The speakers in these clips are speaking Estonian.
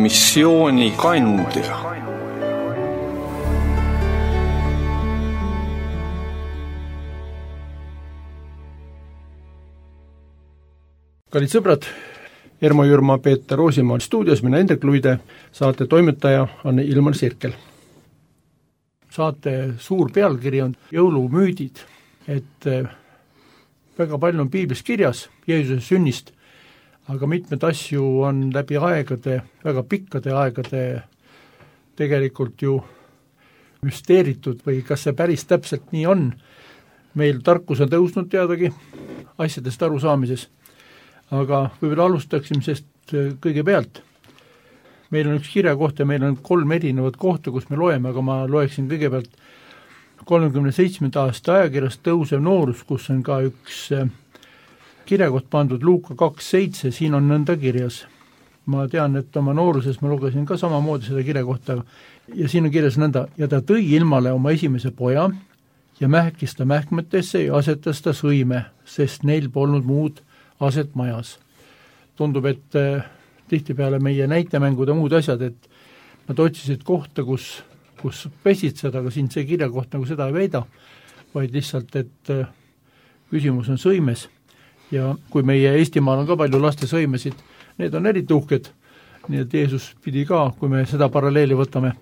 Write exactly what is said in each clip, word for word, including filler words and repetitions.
missiooni kandja. Kallid sõbrad, Ermo Jürma, Peeter Roosimaa stuudios, mina Hendrik Luide, saate toimetaja on Ilmar Sirkel. Saate suur pealkiri on jõulumüüdid, et väga palju on piiblis kirjas Jeesuse sünnist, aga mitmed asju on läbi aegade, väga pikkade aegade tegelikult ju müsteeritud või kas see päris täpselt nii on. Meil tarkus on tõusnud teadagi asjadest arusaamises, aga võib-olla alustaksime sest kõigepealt. Meil on üks kirjakoht ja meil on kolm erinevat kohta, kus me loeme, aga ma loeksin kõigepealt kolmekümne seitsmenda aasta ajakirjast Tõusev noorus, kus on ka üks kirjakoht pandud Luuka kaks seitse, siin on nõnda kirjas. Ma tean, et oma nooruses ma lugesin ka samamoodi seda kirjakohta ja siin on kirjas nõnda, ja ta tõi ilmale oma esimese poja ja mähkis ta mähkmetesse ja asetas ta sõime, sest neil polnud muud aset majas. Tundub, et äh, tihtipeale meie näitemängud ja muud asjad, et nad otsisid kohta, kus, kus pesid seda, aga siin see kirjakoht nagu seda ei väida, vaid lihtsalt, et äh, küsimus on sõimes. Ja kui meie Eestimaal on ka palju laste sõimesid, need on eriti uhked, nii et Jeesus pidi ka, kui me seda paralleeli võtame.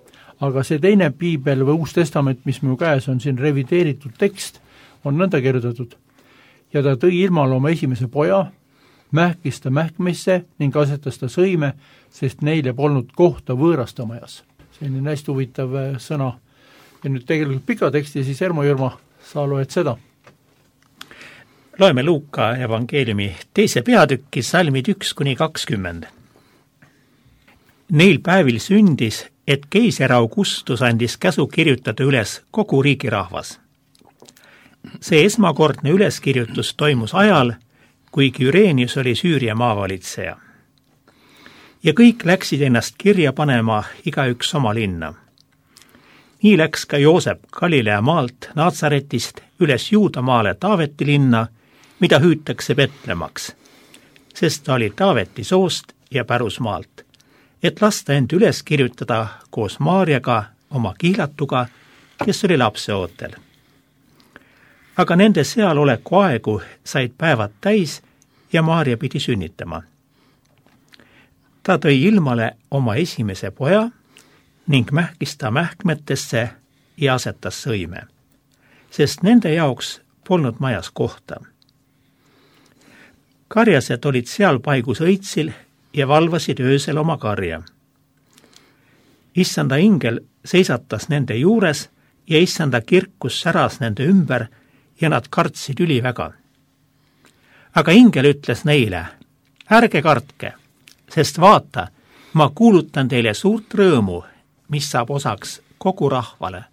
Aga see teine piibel või Uus Testament, mis minu käes on siin revideeritud tekst, on nõnda kirjutatud. Ja ta tõi ilmale oma esimese poja, mähkis ta mähkmisse ning asetas ta sõime, sest neile polnud kohta võõrastamajas. See on hästi huvitav sõna. Ja nüüd tegelikult pika teksti, siis Ermo Jürma, sa loed seda. Loeme Luuka evangeeliumi teise peatükki salmid üks kuni kakskümmend. Neil päevil sündis, et keiser Augustus andis käsu kirjutada üles kogu riigirahvas. See esmakordne üleskirjutus toimus ajal, kui Kyrenius oli Süüria maavalitseja. Ja kõik läksid ennast kirja panema igaüks oma linna. Nii läks ka Joosep Galilea maalt Naatsaretist üles Juudamaale Taaveti linna, mida hüütakse Betlemaks, sest ta oli Taaveti soost ja pärusmaalt, et lasta end üles kirjutada koos Maarjaga, oma kihlatuga, kes oli lapseootel. Aga nende sealoleku aegu said päevad täis ja Maarja pidi sünnitama. Ta tõi ilmale oma esimese poja ning mähkis ta mähkmetesse ja asetas sõime, sest nende jaoks polnud majas kohta. Karjased olid seal paigus õitsil ja valvasid öösel oma karja. Issanda ingel seisatas nende juures ja issanda kirkus säras nende ümber ja nad kartsid üliväga. Aga ingel ütles neile, ärge kartke, sest vaata, ma kuulutan teile suurt rõõmu, mis saab osaks kogu rahvale,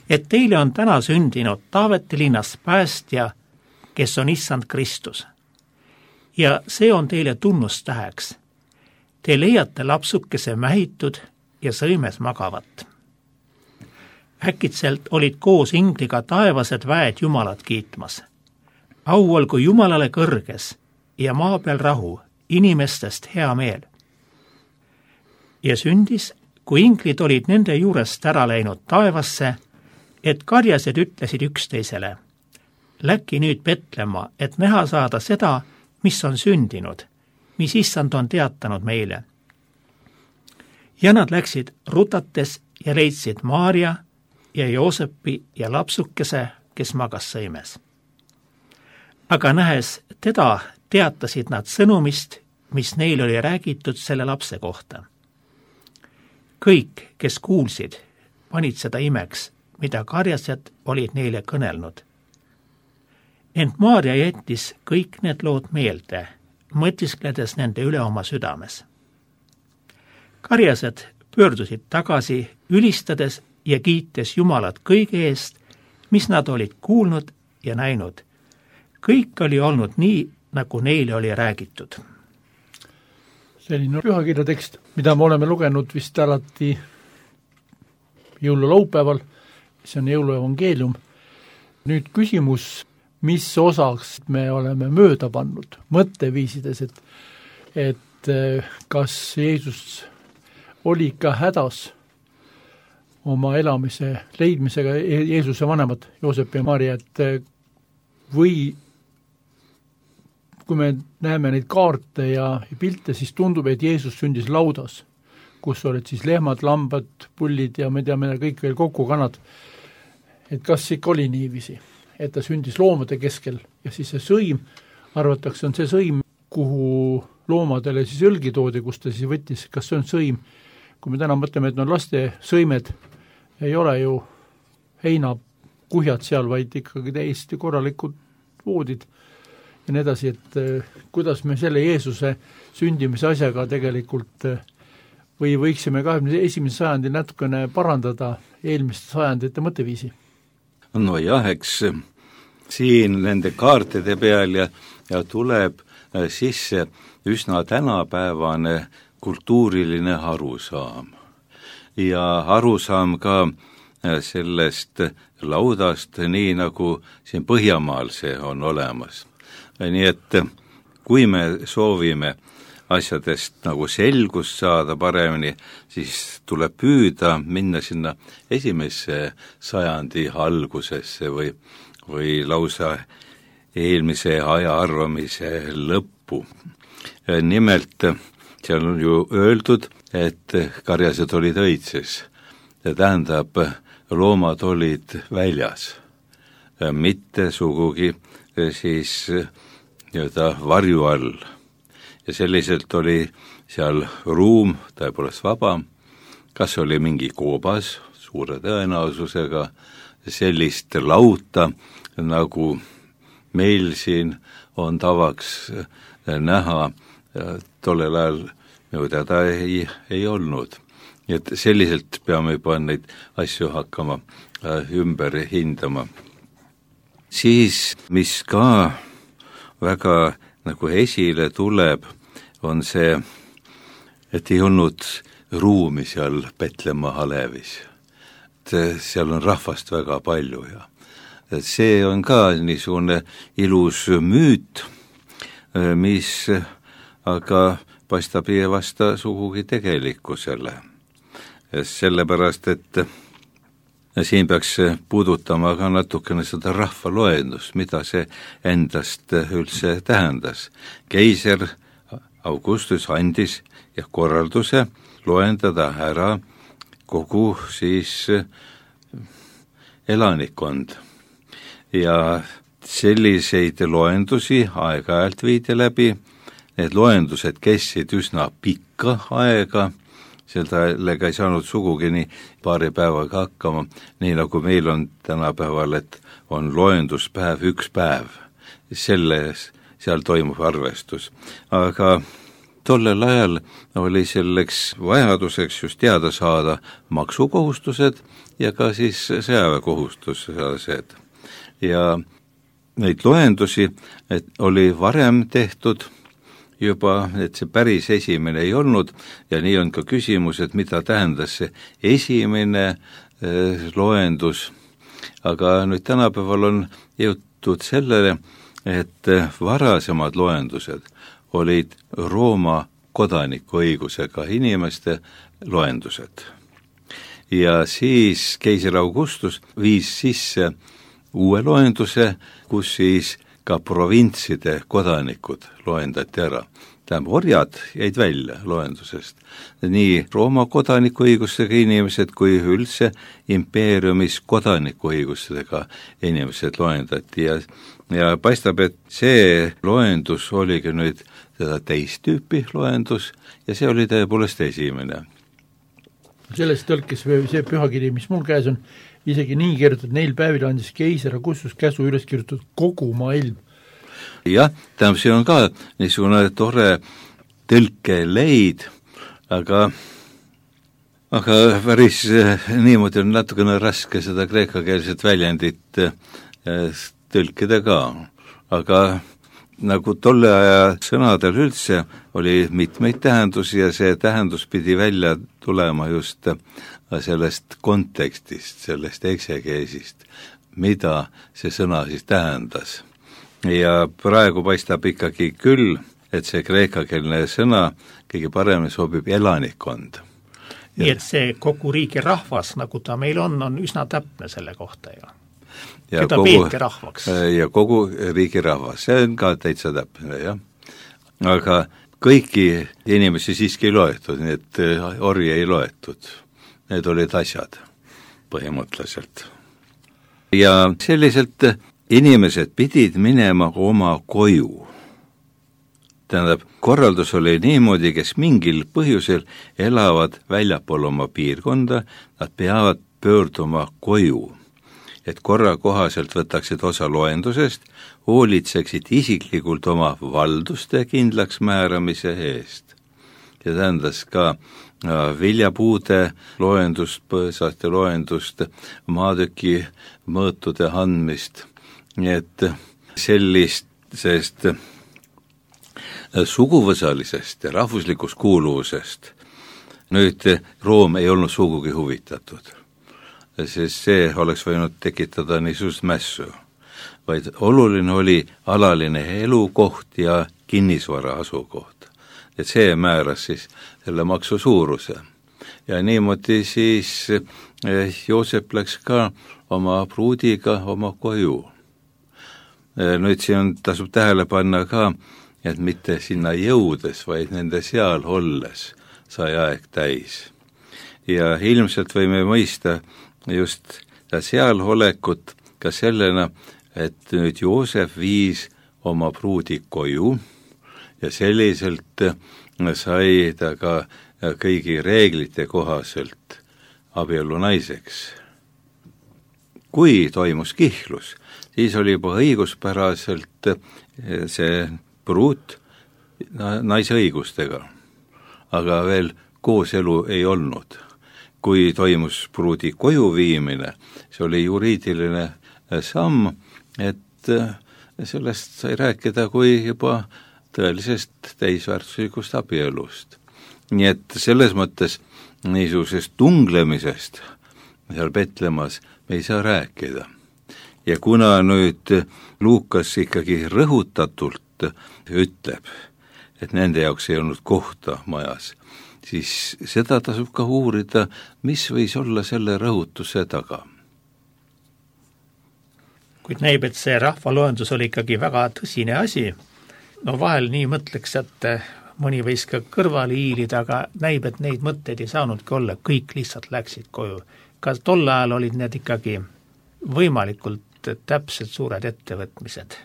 et teile on täna sündinud Taaveti linnas päästja, kes on issand Kristus. Ja see on teile tunnustäheks. Te leiate lapsukese mähitud ja sõimes magavat. Äkitselt olid koos ingliga taevased väed Jumalat kiitmas. Au olgu Jumalale kõrges ja maa peal rahu, inimestest hea meel. Ja sündis, kui inglid olid nende juurest ära läinud taevasse, et karjased ütlesid üksteisele, läki nüüd Betlemma, et näha saada seda, mis on sündinud, mis issand on teatanud meile. Ja nad läksid rutates ja leidsid Maarja ja Joosepi ja lapsukese, kes magas sõimes. Aga nähes teda, teatasid nad sõnumist, mis neil oli räägitud selle lapse kohta. Kõik, kes kuulsid, panid seda imeks, mida karjased olid neile kõnelnud. Ent Maarja jättis kõik need lood meelde, mõtiskledes nende üle oma südames. Karjased pöördusid tagasi, ülistades ja kiites Jumalat kõige eest, mis nad olid kuulnud ja näinud. Kõik oli olnud nii, nagu neile oli räägitud. Selline pühakirja tekst, mida me oleme lugenud vist alati jõululaupäeval, see on jõuluevangeelium. Nüüd küsimus, mis osaks me oleme mööda pannud mõtteviisides, et, et kas Jeesus oli ikka hädas oma elamise leidmisega, Jeesuse vanemad, Joosep ja Maarja, et või kui me näeme neid kaarte ja pilte, siis tundub, et Jeesus sündis laudas, kus olid siis lehmad, lambad, pullid ja me teame kõik veel kokkukanad. Et kas ikka oli niiviisi, et ta sündis loomade keskel ja siis see sõim, arvatakse, on see sõim, kuhu loomadele siis õlgi toodi, kus ta siis võttis, kas see on sõim. Kui me täna mõtleme, et on laste sõimed, ei ole ju heinakuhjad seal, vaid ikkagi täiesti korralikud voodid ja nii edasi, et kuidas me selle Jeesuse sündimise asjaga tegelikult või võiksime kahekümne esimese sajandil natukene parandada eelmiste sajandite mõtteviisi? No jah, eks siin nende kaartide peal ja, ja tuleb sisse üsna tänapäevane kultuuriline arusaam. Ja arusaam ka sellest laudast, nii nagu siin Põhjamaal see on olemas. Nii et kui me soovime asjadest nagu selgust saada paremini, siis tuleb püüda minna sinna esimesse sajandi algusesse või, või lausa eelmise aja arvamise lõppu. Nimelt seal on ju öeldud, et karjased olid õitses. See tähendab, loomad olid väljas, mitte sugugi siis nii-öelda varju all. Ja selliselt oli seal ruum tõepoolest vaba, kas oli mingi koobas suure tõenäosusega, sellist lauta, nagu meil siin on tavaks näha, tollel ajal minu teada ei, ei olnud. Nii et selliselt peame juba neid asju hakkama ümber hindama. Siis, mis ka väga nagu esile tuleb, on see, et ei olnud ruumi seal Petlemma Alevis. Seal on rahvast väga palju ja see on ka niisugune ilus müüt, mis aga paistab ei vasta sugugi tegelikkusele. Sellepärast, et siin peaks puudutama ka natukene seda rahvaloendust, mida see endast üldse tähendas. Keiser Augustus andis ja korralduse loendada ära kogu siis elanikkond. Ja selliseid loendusi aeg-ajalt viidi läbi. Need loendused kestsid üsna pikka aega, sellega ei saanud sugugi nii paari päevaga hakkama, nii nagu meil on tänapäeval, et on loenduspäev üks päev. Selles, seal toimub arvestus. Aga tollel ajal oli selleks vajaduseks just teada saada maksukohustused ja ka siis sõjaväekohustused. Ja neid loendusi et oli varem tehtud juba, et see päris esimene ei olnud ja nii on ka küsimus, et mida tähendas see esimene eh, loendus. Aga nüüd tänapäeval on jõutud sellele, et varasemad loendused olid Rooma kodanikuõigusega inimeste loendused. Ja siis keiser Augustus viis sisse uue loenduse, kus siis ka provintside kodanikud loendati ära. Tähendab, orjad jäid välja loendusest. Nii Rooma kodanikuõigustega inimesed kui üldse impeeriumis kodanikuõigustega inimesed loendati ja, ja paistab, et see loendus oligi nüüd seda teist tüüpi loendus ja see oli tõepoolest esimene. Sellest tõlkes see pühakiri, mis mul käes on, isegi nii kirjutatud, neil päevil andis keiser Augustus käsu üles kirjutatud kogu maailm. Jah, tähendab, see on ka niisugune tore tõlkeleid, aga, aga päris niimoodi on natukene raske seda kreekakeelset väljendit tõlkida ka. Aga nagu tolle aja sõnadel üldse oli mitmeid tähendusi ja see tähendus pidi välja tulema just sellest kontekstist, sellest eksegeesist, mida see sõna siis tähendas. Ja praegu paistab ikkagi küll, et see kreekakeelne sõna kõige paremini sobib elanikkond. nii et see kogu riigi rahvas, nagu ta meil on, on üsna täpne selle kohta ju. Ja keda kogu, peeti rahvaks. Ja kogu riigi rahvas, see on ka täitsa täpne, jah. Aga kõiki inimesi siiski ei loetud, nii et orje ei loetud. Need olid asjad põhimõtteliselt. Ja selliselt inimesed pidid minema oma koju. Tähendab, korraldus oli niimoodi, kes mingil põhjusel elavad väljapool oma piirkonda, nad peavad pöörduma koju, et korra kohaselt võtaksid osa loendusest, hoolitseksid isiklikult oma valduste kindlaks määramise eest. Ja tähendas ka viljapuude loendust, põõsaste loendust, maatüki mõõtude andmist, nii et sellist, sest suguvõsalisest ja rahvuslikust kuuluvusest nüüd Room ei olnud sugugi huvitatud, sest see oleks võinud tekitada niisugust mässu, vaid oluline oli alaline elukoht ja kinnisvara asukoht. Et see määras siis selle maksu suuruse. Ja niimoodi siis Joosep läks ka oma pruudiga oma koju. Nüüd siin tasub tähele panna ka, et mitte sinna jõudes, vaid nende seal olles sai aeg täis. Ja ilmselt võime mõista just seal olekut ka sellena, et nüüd Joosep viis oma pruudi koju ja selliselt sai ta ka kõigi reeglite kohaselt abielu naiseks. Kui toimus kihlus, siis oli juba õiguspäraselt see pruut naise õigustega, aga veel kooselu ei olnud. Kui toimus pruudi koju viimine, see oli juriidiline samm, et sellest sai rääkida kui juba tõelisest täisväärtuslikust abielust. Nii et selles mõttes niisugusest tunglemisest seal Petlemas me ei saa rääkida. Ja kuna nüüd Luukas ikkagi rõhutatult ütleb, et nende jaoks ei olnud kohta majas, siis seda tasub ka uurida, mis võis olla selle rõhutuse taga. Kuid näib, et see rahvaloendus oli ikkagi väga tõsine asi. No vahel nii mõtleks, et mõni võis ka kõrvale hiilida, aga näib, et neid mõtteid ei saanudki olla, kõik lihtsalt läksid koju. Ka tol ajal olid need ikkagi võimalikult täpselt suured ettevõtmised.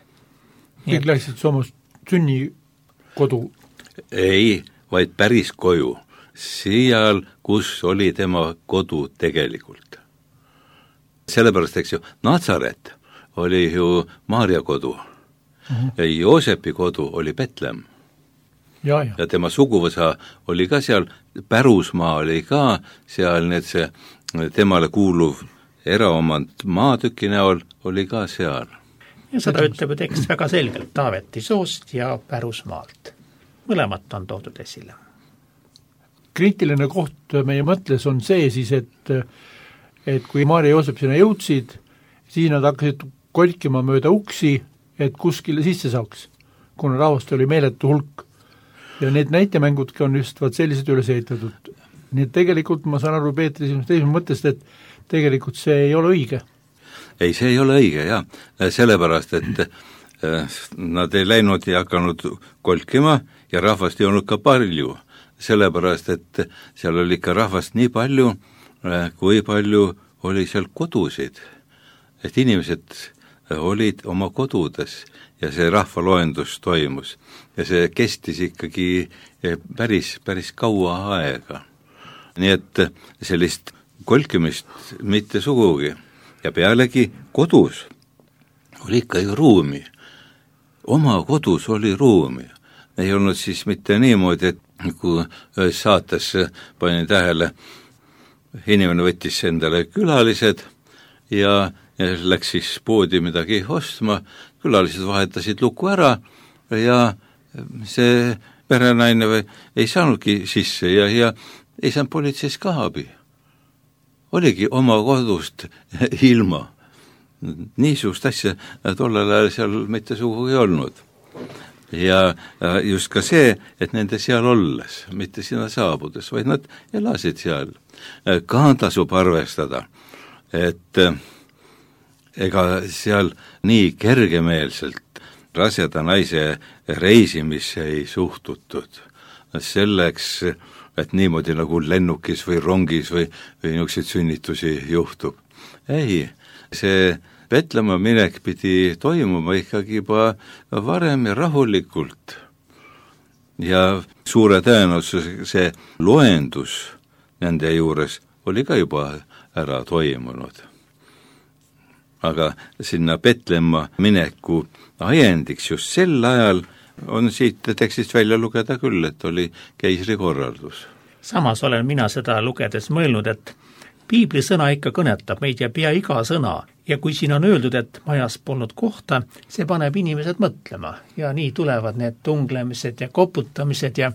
Kõik läksid Soomast sünnikodu? Ei, vaid päris koju. Seal, kus oli tema kodu tegelikult. Sellepärast, eks ju, Natsaret oli ju Maarja kodu. Uh-huh. Ja Joosepi kodu oli Betlem. Ja, ja. ja tema suguvõsa oli ka seal, Pärusmaa oli ka seal, need see temale kuuluv eraomand maatüki näol oli ka seal. Ja seda ütleb tekst väga selgelt Taaveti soost ja Pärusmaalt. Mõlemat on toodud esile. Kriitiline koht meie mõtles on see siis, et, et kui Maarja ja Joosep sinna jõudsid, siis nad hakkasid kolkima mööda uksi, et kuskile sisse saaks, kuna rahvast oli meeletu hulk. Ja need näitemängudki on just vaat sellised üles ehitatud. Nii et tegelikult ma saan aru Peetri teisest mõttest, et tegelikult see ei ole õige. Ei, see ei ole õige, jah. Sellepärast, et nad ei läinud ja hakanud kolkima ja rahvast ei olnud ka palju. Sellepärast, et seal oli ikka rahvast nii palju, kui palju oli seal kodusid. Et inimesed olid oma kodudes ja see rahvaloendus toimus. Ja see kestis ikkagi päris, päris kaua aega. Nii et sellist kolkimist mitte sugugi. Ja pealegi kodus oli ikka ju ruumi. Oma kodus oli ruumi. Ei olnud siis mitte niimoodi, et kui saates panin tähele, inimene võttis endale külalised ja, ja läks siis poodi midagi ostma, külalised vahetasid luku ära ja see perenaine või ei saanudki sisse ja, ja ei saanud politseis ka abi. Oligi oma kodust ilma. Niisugust asja tollel ajal seal mitte sugugi olnud. ja just ka see, et nende seal olles, mitte sinna saabudes, vaid nad elasid seal. Ka tasub arvestada, et ega seal nii kergemeelselt raseda naise reisimisse ei suhtutud. Selleks, et niimoodi nagu lennukis või rongis või, või niisuguseid sünnitusi juhtub. Ei, see Petlemma minek pidi toimuma ikkagi juba varem ja rahulikult. Ja suure tõenäosusega see loendus nende juures oli ka juba ära toimunud. Aga sinna Petlemma mineku ajendiks just sel ajal on siit tekstist välja lugeda küll, et oli keisri korraldus. Samas olen mina seda lugedes mõelnud, et piibli sõna ikka kõnetab meid ja pea iga sõna ja kui siin on öeldud, et majas polnud kohta, see paneb inimesed mõtlema ja nii tulevad need tunglemised ja koputamised ja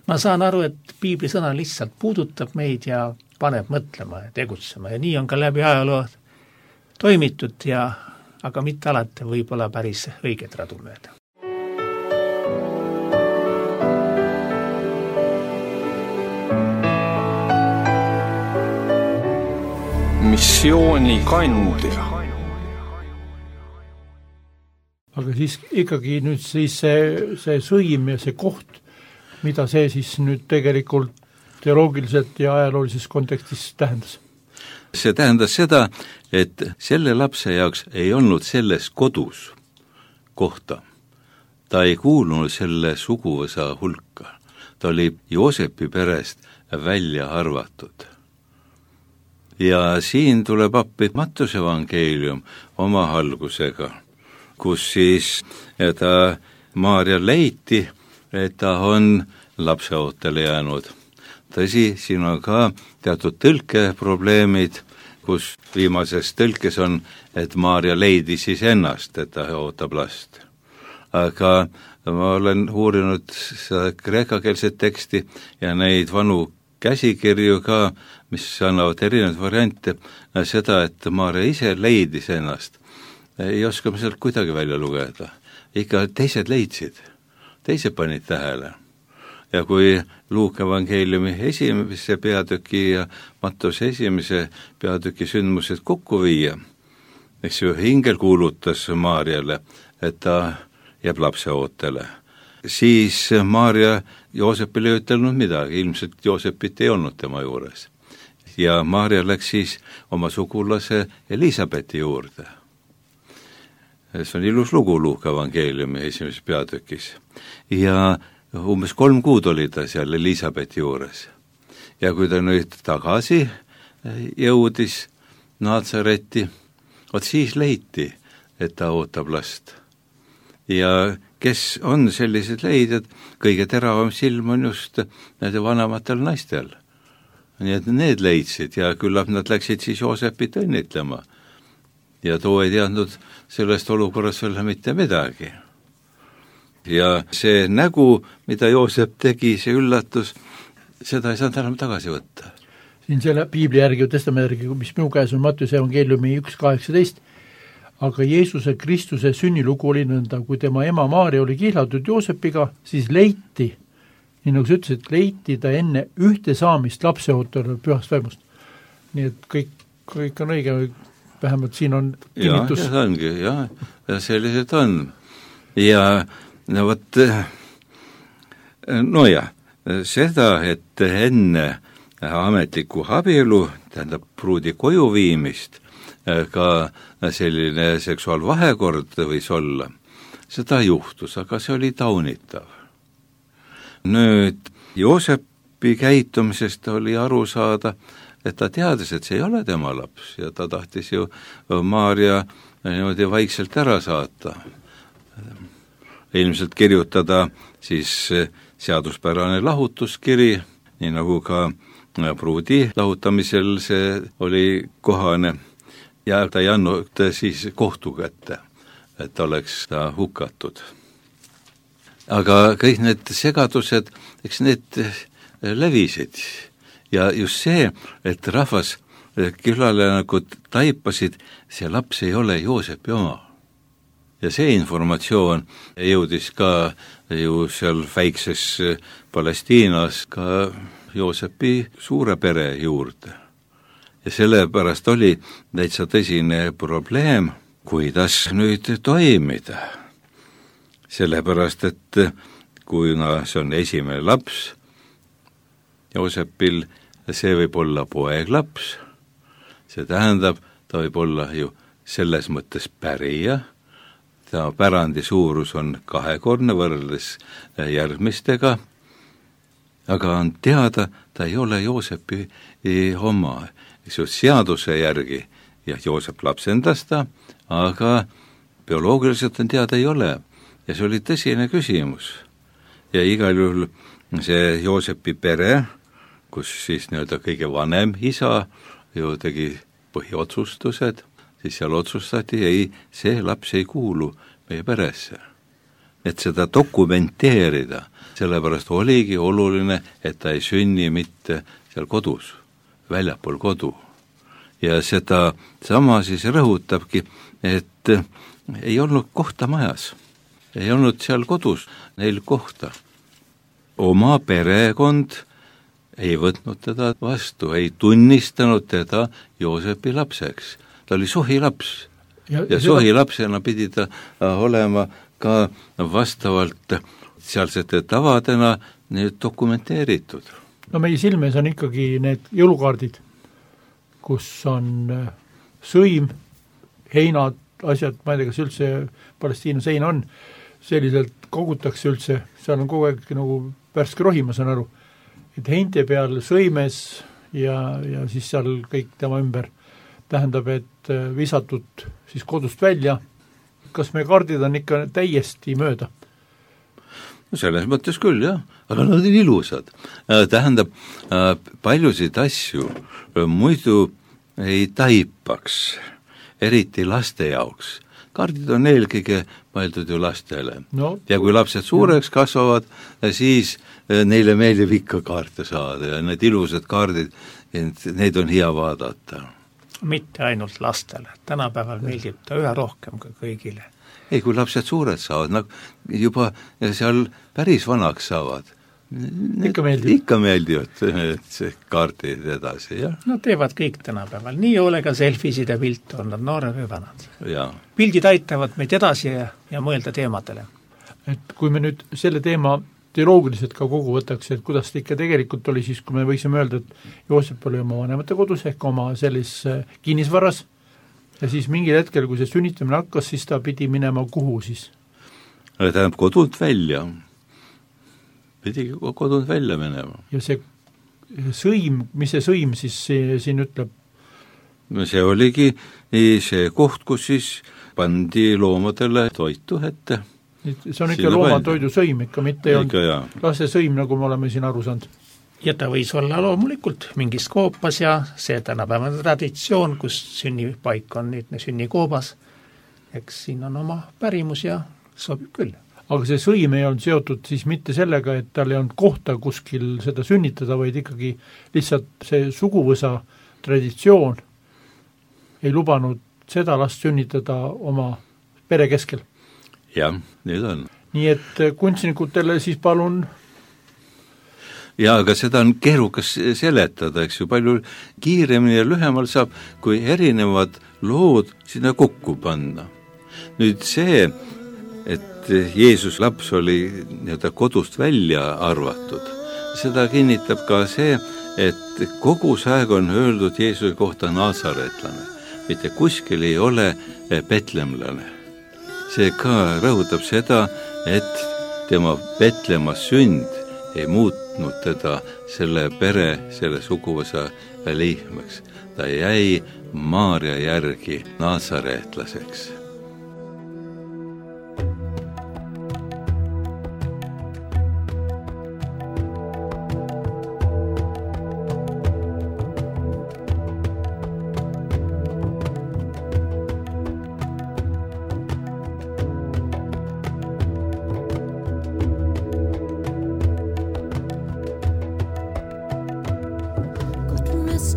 ma saan aru, et piibli sõna lihtsalt puudutab meid ja paneb mõtlema ja tegutsema ja nii on ka läbi ajaloo toimitud ja aga mitte alati võib-olla päris õiget radu mööda. missiooni kandja. Aga siis ikkagi nüüd siis see, see sõim ja see koht, mida see siis nüüd tegelikult teoloogiliselt ja ajaloolises kontekstis tähendas? See tähendas seda, et selle lapse jaoks ei olnud selles kodus kohta. Ta ei kuulunud selle suguvõsa hulka. Ta oli Joosepi perest välja arvatud. Ja siin tuleb appi Mattuse evangeelium oma algusega, kus siis ta Maarja leiti, et ta on lapseootele jäänud. Tõsi, siin on ka teatud tõlkeprobleemid, kus viimases tõlkes on, et Maarja leidis siis ennast, et ta ootab last. Aga ma olen uurinud seda kreekakeelset teksti ja neid vanu käsikirju ka, mis annavad erinevaid variante, seda, et Maarja ise leidis ennast. Ei oska me sealt kuidagi välja lugeda. Ikka teised leidsid, teised panid tähele. Ja kui Luuka evangeeliumi esimese peatüki ja Mattuse esimese peatüki sündmused kokku viia, eks ju, ingel kuulutas Maarjale, et ta jääb lapseootele. Siis Maarja Joosepile ei ütelnud midagi, ilmselt Joosepit ei olnud tema juures. Ja Maarja läks siis oma sugulase Elisabethi juurde. See on ilus lugu Luuka evangeeliumi esimeses peatükis. Ja umbes kolm kuud oli ta seal Elisabethi juures. Ja kui ta nüüd tagasi jõudis Naatsaretti, vot siis leiti, et ta ootab last. Ja kes on sellised leidjad, kõige teravam silm on just nende vanematel naistel. Nii et need leidsid ja küllap nad läksid siis Joosepit õnnitlema. Ja too ei teadnud sellest olukorras veel mitte midagi. Ja see nägu, mida Joosep tegi, see üllatus, seda ei saanud enam tagasi võtta. Siin selle piibli järgi, testamendi järgi, mis minu käes on Mattuse evangeeliumi üks kaheksateist, aga Jeesuse Kristuse sünnilugu oli nõnda, kui tema ema Maarja oli kihlatud Joosepiga, siis leiti, nii nagu sa ütlesid, leiti ta enne ühte saamist lapseootel pühast vaimust. Nii et kõik, kõik on õige, vähemalt siin on kinnitus. Ja, ja ongi, ja, ja sellised on. Ja no võt, no ja, seda, et enne ametliku abielu, tähendab pruudi koju viimist, ka selline seksuaalvahekord võis olla, seda juhtus, aga see oli taunitav. Nüüd Joosepi käitumisest oli aru saada, et ta teadis, et see ei ole tema laps ja ta tahtis ju Maarja niimoodi vaikselt ära saata. Ilmselt kirjutada siis seaduspärane lahutuskiri, nii nagu ka pruudi lahutamisel see oli kohane. Ja ta ei andnud siis kohtu kätte, et oleks ta hukatud. Aga kõik need segadused, eks need levisid. Ja just see, et rahvas külale nagu taipasid, see laps ei ole Joosepi oma. ja see informatsioon jõudis ka ju seal väikses Palestiinas ka Joosepi suure pere juurde. Ja sellepärast oli täitsa tõsine probleem, kuidas nüüd toimida. Sellepärast, et kuna see on esimene laps Joosepil, see võib olla poeglaps, see tähendab, ta võib olla ju selles mõttes pärija, ta pärandi suurus on kahekordne võrreldes järgmistega, aga on teada, ta ei ole Joosepi oma, seaduse järgi, ja Joosep lapsendas ta, aga bioloogiliselt on teada ei ole. Ja see oli tõsine küsimus. Ja igal juhul see Joosepi pere, kus siis nii-öelda kõige vanem isa ju tegi põhiotsustused, siis seal otsustati, ei, see laps ei kuulu meie peresse. Et seda dokumenteerida, sellepärast oligi oluline, et ta ei sünni mitte seal kodus, väljapool kodu. Ja seda sama siis rõhutabki, et ei olnud kohta majas, ei olnud seal kodus neil kohta. Oma perekond ei võtnud teda vastu, ei tunnistanud teda Joosepi lapseks. Ta oli sohilaps ja, ja sohilapsena pidi ta olema ka vastavalt sealsete tavadena need dokumenteeritud. No meie silmes on ikkagi need jõulukaardid, kus on sõim, heinad, asjad, ma ei tea, kas üldse Palestiinas heina on, selliselt kogutakse üldse, seal on kogu aeg nagu värske rohi, ma saan aru, et heinte peal sõimes ja, ja siis seal kõik tema ümber tähendab, et visatud siis kodust välja. Kas meie kaardid on ikka täiesti mööda? No selles mõttes küll, jah, aga nad on ilusad. Tähendab, paljusid asju muidu ei taipaks, eriti laste jaoks. Kaardid on eelkõige mõeldud ju lastele. No, ja kui lapsed suureks kasvavad, siis neile meeldib ikka kaarte saada ja need ilusad kaardid, neid on hea vaadata. Mitte ainult lastele, tänapäeval meeldib ta üha rohkem kui kõigile. Ei, kui lapsed suured saavad, nagu juba seal päris vanaks saavad, ikka meeldib. Ikka meeldivad see kaardid edasi, jah. No teevad kõik tänapäeval, nii hoolega selfisid ja pilt on nad noored või vanad. Ja. Pildid aitavad meid edasi ja, ja mõelda teemadele. Et kui me nüüd selle teema teoloogiliselt ka kogu võtaks, et kuidas ta ikka tegelikult oli siis, kui me võiksime öelda, et Joosep oli oma vanemate kodus ehk oma sellis kinnisvaras ja siis mingil hetkel, kui see sünnitamine hakkas, siis ta pidi minema kuhu siis? Tähendab kodult välja. Pidi kodult välja minema. Ja see sõim, mis see sõim siis siin ütleb? See oligi see koht, kus siis pandi loomadele toitu ette. See on ikka loomatoidu sõim, ikka mitte ei olnud lase sõim, nagu me oleme siin aru saanud. Ja ta võis olla loomulikult mingis koopas ja see tänapäevane traditsioon, kus sünnipaik on nüüd sünnikoobas, eks siin on oma pärimus ja sobib küll. Aga see sõim ei olnud seotud siis mitte sellega, et tal ei olnud kohta kuskil seda sünnitada, vaid ikkagi lihtsalt see suguvõsa traditsioon ei lubanud seda last sünnitada oma pere keskel. Jah, nüüd on. Nii et kunstnikutele siis palun. Ja, aga seda on keerukas seletada, eks ju, palju kiiremini ja lühemal saab, kui erinevad lood sinna kokku panna. Nüüd see, et Jeesus laps oli nii-öelda kodust välja arvatud, seda kinnitab ka see, et kogu aeg on öeldud Jeesuse kohta naasaretlane, mitte kuskil ei ole betlemlane. See ka rõhutab seda, et tema Betlemas sünd ei muutnud teda selle pere, selle suguvõsa liikmeks. Ta jäi Maaria järgi naasareetlaseks.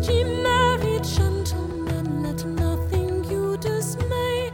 Ye married gentlemen, let nothing you dismay.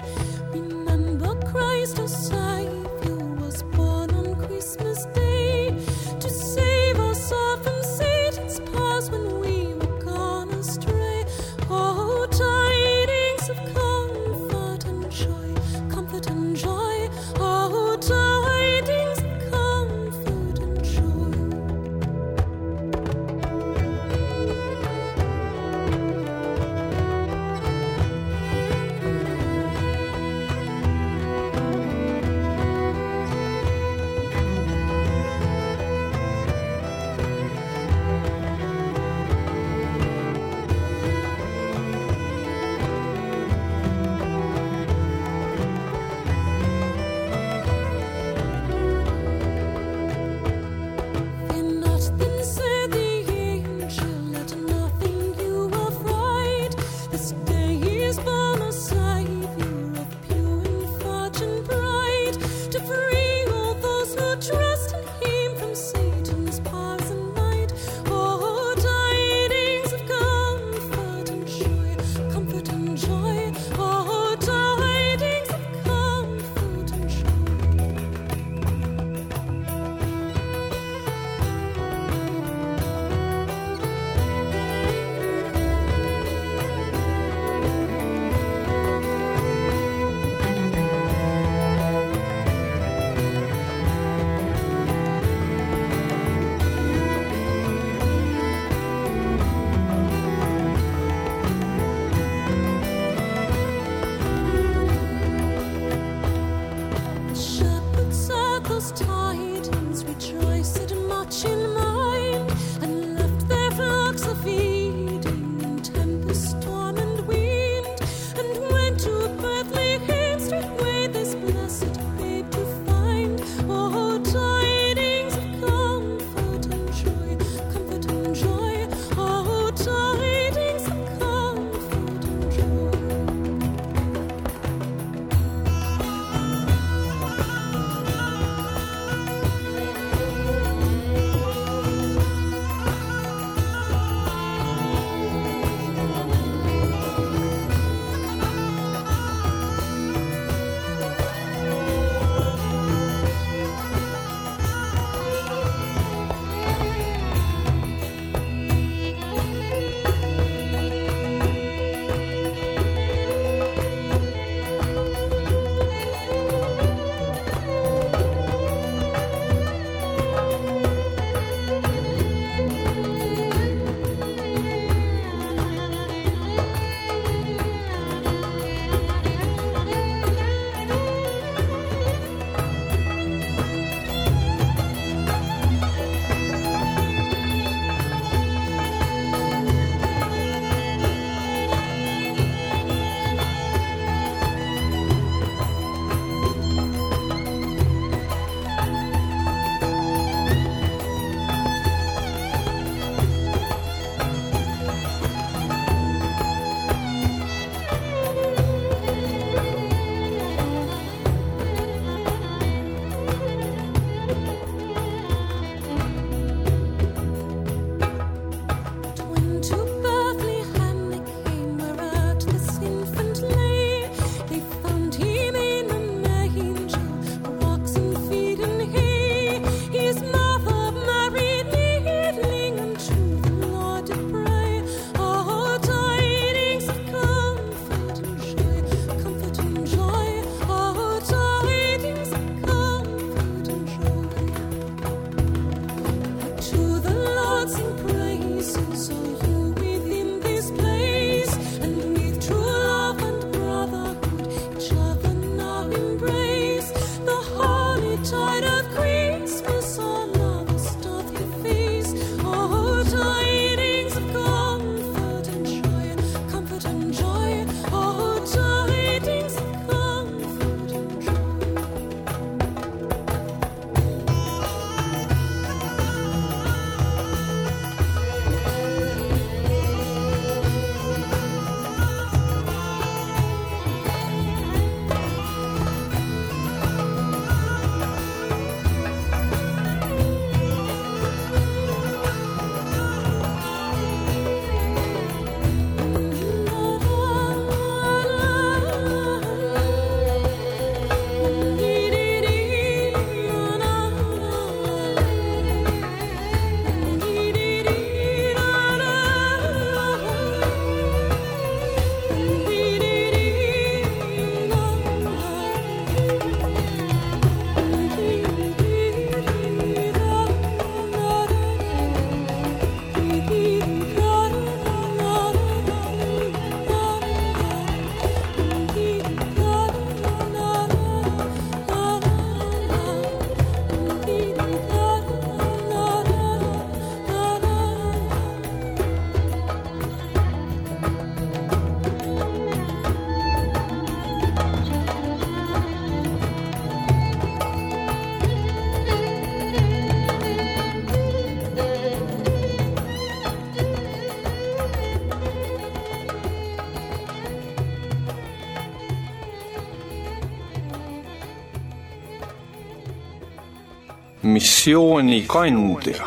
missioonikandja.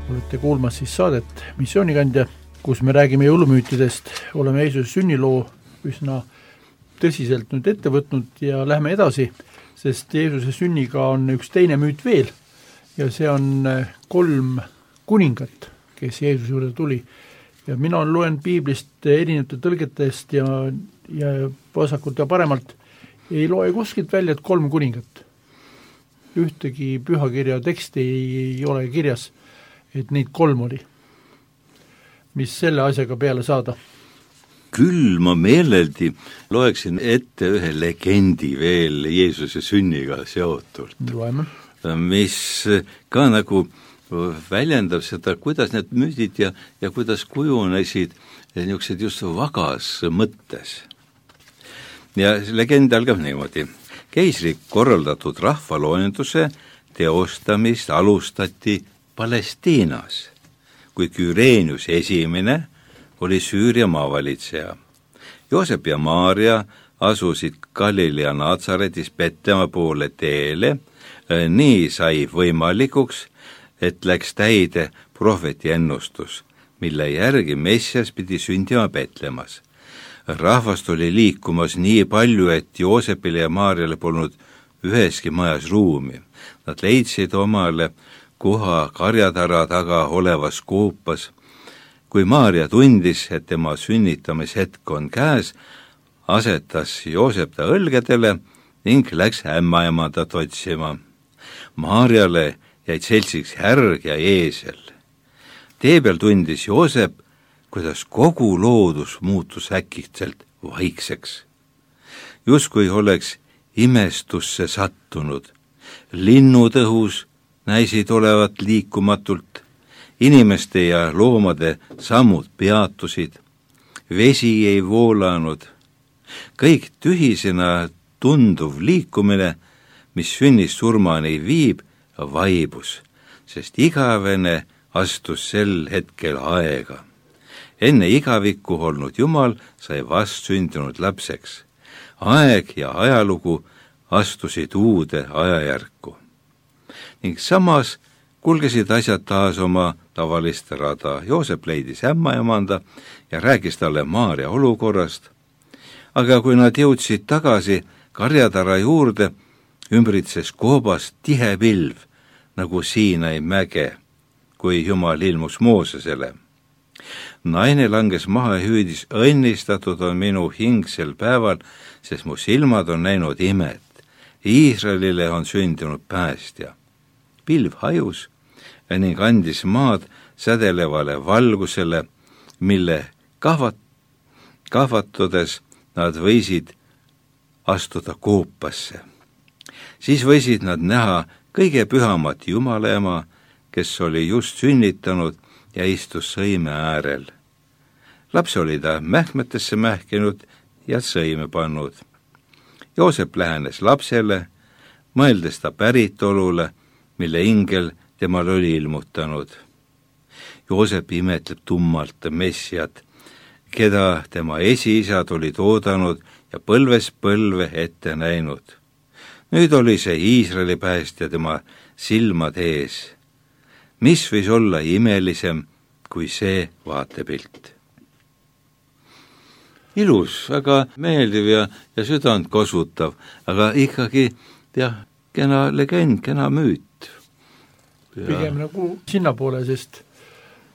Olete kuulmas siis saadet Missioonikandja, kus me räägime jõulumüütidest, oleme Jeesuse sünniloo üsna tõsiselt nüüd ette võtnud ja lähme edasi, sest Jeesuse sünniga on üks teine müüt veel ja see on kolm kuningat, kes Jeesuse juurde tuli. Ja mina loen piiblist erinevate tõlgetest ja, ja vasakult ja paremalt ei loe kuskilt välja, et kolm kuningat. Ühtegi pühakirja teksti ei ole kirjas, et neid kolm oli. Mis selle asjaga peale saada? Küll ma meeleldi loeksin ette ühe legendi veel Jeesuse sünniga seotult. Loeme. Mis ka nagu väljendab seda, kuidas need müüdid ja, ja kuidas kujunesid niisugused just vagas mõttes. Ja legend algab niimoodi. Keisri korraldatud rahvaloenduse teostamist alustati Palestiinas, kui Küreenius esimene oli Süüria maavalitseja. Joosep ja Maaria asusid Galilea Natsaretis Betlema poole teele, nii sai võimalikuks, et läks täide prohveti ennustus, mille järgi Messias pidi sündima Betlemas. Rahvast oli liikumas nii palju, et Joosepile ja Maariale polnud üheski majas ruumi. Nad leidsid omale koha karjatara taga olevas koopas. Kui Maaria tundis, et tema sünnitamishetk on käes, asetas Joosep ta õlgedele ning läks ämmaemandat otsima. Maariale jäid seltsiks härg ja eesel. Tee peal tundis Joosep, kuidas kogu loodus muutus äkitselt vaikseks. Justkui oleks imestusse sattunud. Linnud õhus näisid olevat liikumatult, inimeste ja loomade sammud peatusid, vesi ei voolanud. Kõik tühisena tunduv liikumine, mis sünnist surmani viib, vaibus, sest igavene astus sel hetkel aega. Enne igavikku olnud Jumal sai vastsündinud lapseks. Aeg ja ajalugu astusid uude ajajärku. Ning samas kulgesid asjad taas oma tavalist rada. Joosep leidis ämmaemanda ja rääkis talle Maaria olukorrast. Aga kui nad jõudsid tagasi karjatara juurde, ümbritses koobas tihe pilv, nagu Siinai mäge, kui Jumal ilmus Moosesele. Naine langes maha ja hüüdis, õnnistatud on minu hing sel päeval, sest mu silmad on näinud imet. Iisraelile on sündinud päästja. Pilv hajus ning andis maad sädelevale valgusele, mille kahvat, kahvatudes nad võisid astuda koopasse. Siis võisid nad näha kõige pühamat Jumala ema, kes oli just sünnitanud ja istus sõime äärel. Laps oli ta mähkmetesse mähkinud ja sõime pannud. Joosep lähenes lapsele, mõeldes ta päritolule, mille ingel temal oli ilmutanud. Joosep imetleb tummalt Messiat, keda tema esiisad olid oodanud ja põlves põlve ette näinud. Nüüd oli see Iisraeli päästja tema silmad ees. Mis võis olla imelisem kui see vaatepilt? Ilus, väga meeldiv ja, ja südant kosutav, aga ikkagi jah, kena legend, kena müüt. Ja. Pigem nagu sinna poole, sest,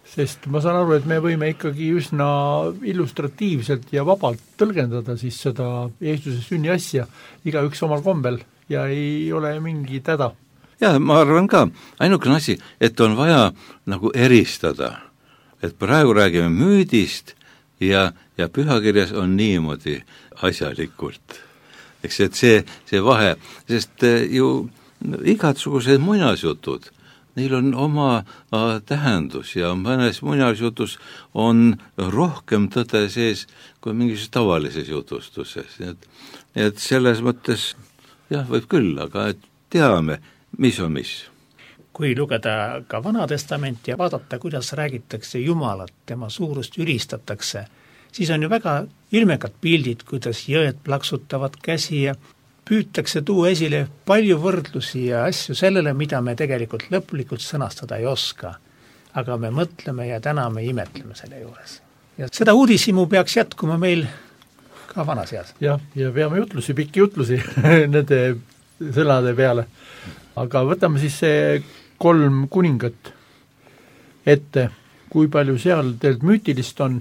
sest ma saan aru, et me võime ikkagi üsna illustratiivselt ja vabalt tõlgendada siis seda Jeesuse sünni asja, igaüks omal kombel ja ei ole mingi täda. Ja ma arvan ka, ainukene asi, et on vaja nagu eristada, et praegu räägime müüdist ja, ja pühakirjas on niimoodi asjalikult. Eks et see, see vahe, sest ju igatsugused muinasjutud, neil on oma äh, tähendus ja mõnes muinasjutus on rohkem tõde sees kui mingis tavalises jutustuses. Et, et selles mõttes jah, võib küll, aga et teame, mis on mis. kui lugeda ka Vana-testamenti ja vaadata, kuidas räägitakse Jumalat, tema suurust ülistatakse, siis on ju väga ilmekad pildid, kuidas jõed plaksutavad käsi ja püütakse tuua esile palju võrdlusi ja asju sellele, mida me tegelikult lõplikult sõnastada ei oska. Aga me mõtleme ja täna me imetleme selle juures. Ja seda uudishimu peaks jätkuma meil ka vanas eas. jah, ja peame jutlusi, pikki jutlusi nende sõnade peale. Aga võtame siis see kolm kuningat ette, kui palju seal teilt müütilist on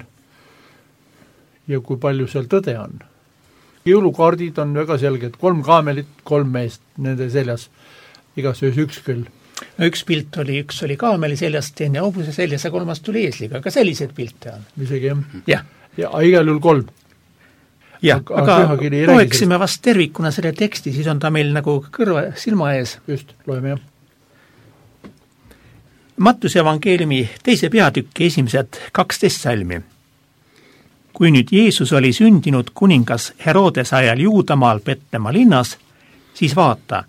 ja kui palju seal tõde on. Jõulukaardid on väga selged, kolm kaamelit, kolm meest nende seljas, igas ühes üks küll. No üks pilt oli, üks oli kaameli seljas, teine hobuse seljas ja kolmas tuli eesliga, aga selliseid pilte on. Isegi jah. jah. Ja igal juhul kolm. jah, aga, aga loeksime vast tervikuna selle teksti, siis on ta meil nagu kõrva, silma ees. Just, loeme jah. Mattuse evangeeliumi teise peatükki esimesed kaksteist salmi. Kui nüüd Jeesus oli sündinud kuningas Herodes ajal Juudamaal Petlemma linnas, siis vaata,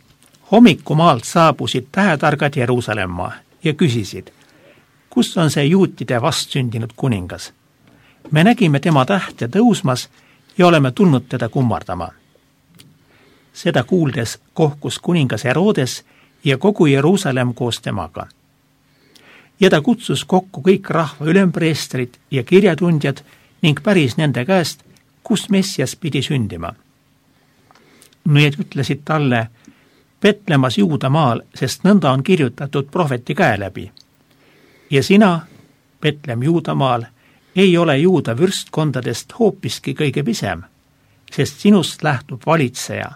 hommikumaalt saabusid tähetargad Jeruusalemma ja küsisid, kus on see juutide vastsündinud kuningas? Me nägime tema tähte tõusmas ja oleme tulnud teda kummardama. Seda kuuldes kohkus kuningas Herodes ja kogu Jeruusalemm koos temaga. Ja ta kutsus kokku kõik rahva ülempreestrid ja kirjatundjad ning päris nende käest, kus Messias pidi sündima. Need ütlesid talle, Petlemas Juudamaal, sest nõnda on kirjutatud prohveti käe läbi. Ja sina, Petlem Juudamaal, ei ole Juuda võrstkondadest hoopiski kõige pisem, sest sinust lähtub valitseja,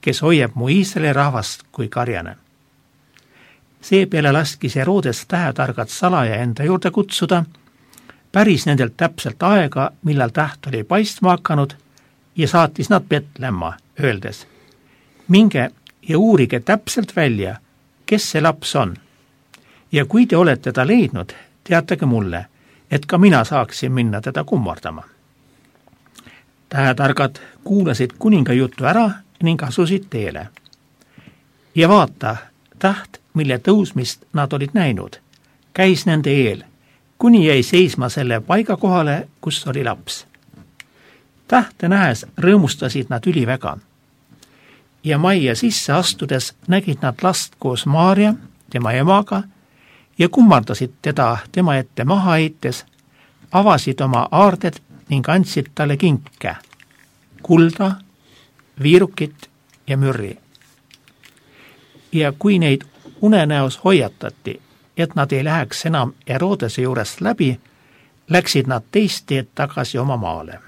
kes hoiab mu Iisraeli rahvast kui karjane. Seepeale laskis Herodes tähetargad salaja enda juurde kutsuda, päris nendelt täpselt aega, millal täht oli paistma hakanud ja saatis nad Petlemma, öeldes, minge ja uurige täpselt välja, kes see laps on. Ja kui te olete ta leidnud, teatage mulle, et ka mina saaksin minna teda kummardama. Tähetargad kuulasid kuninga juttu ära ning asusid teele. Ja vaata, täht, mille tõusmist nad olid näinud, käis nende eel, kuni jäi seisma selle paiga kohale, kus oli laps. Tähte nähes rõõmustasid nad üliväga. Ja majja sisse astudes nägid nad last koos Maaria, tema emaga, ja kummardasid teda tema ette maha heites, avasid oma aarded ning andsid talle kinke, kulda, viirukit ja mürri. Ja kui neid unenäos hoiatati, et nad ei läheks enam Herodese juurest läbi, läksid nad teist teed tagasi oma maale.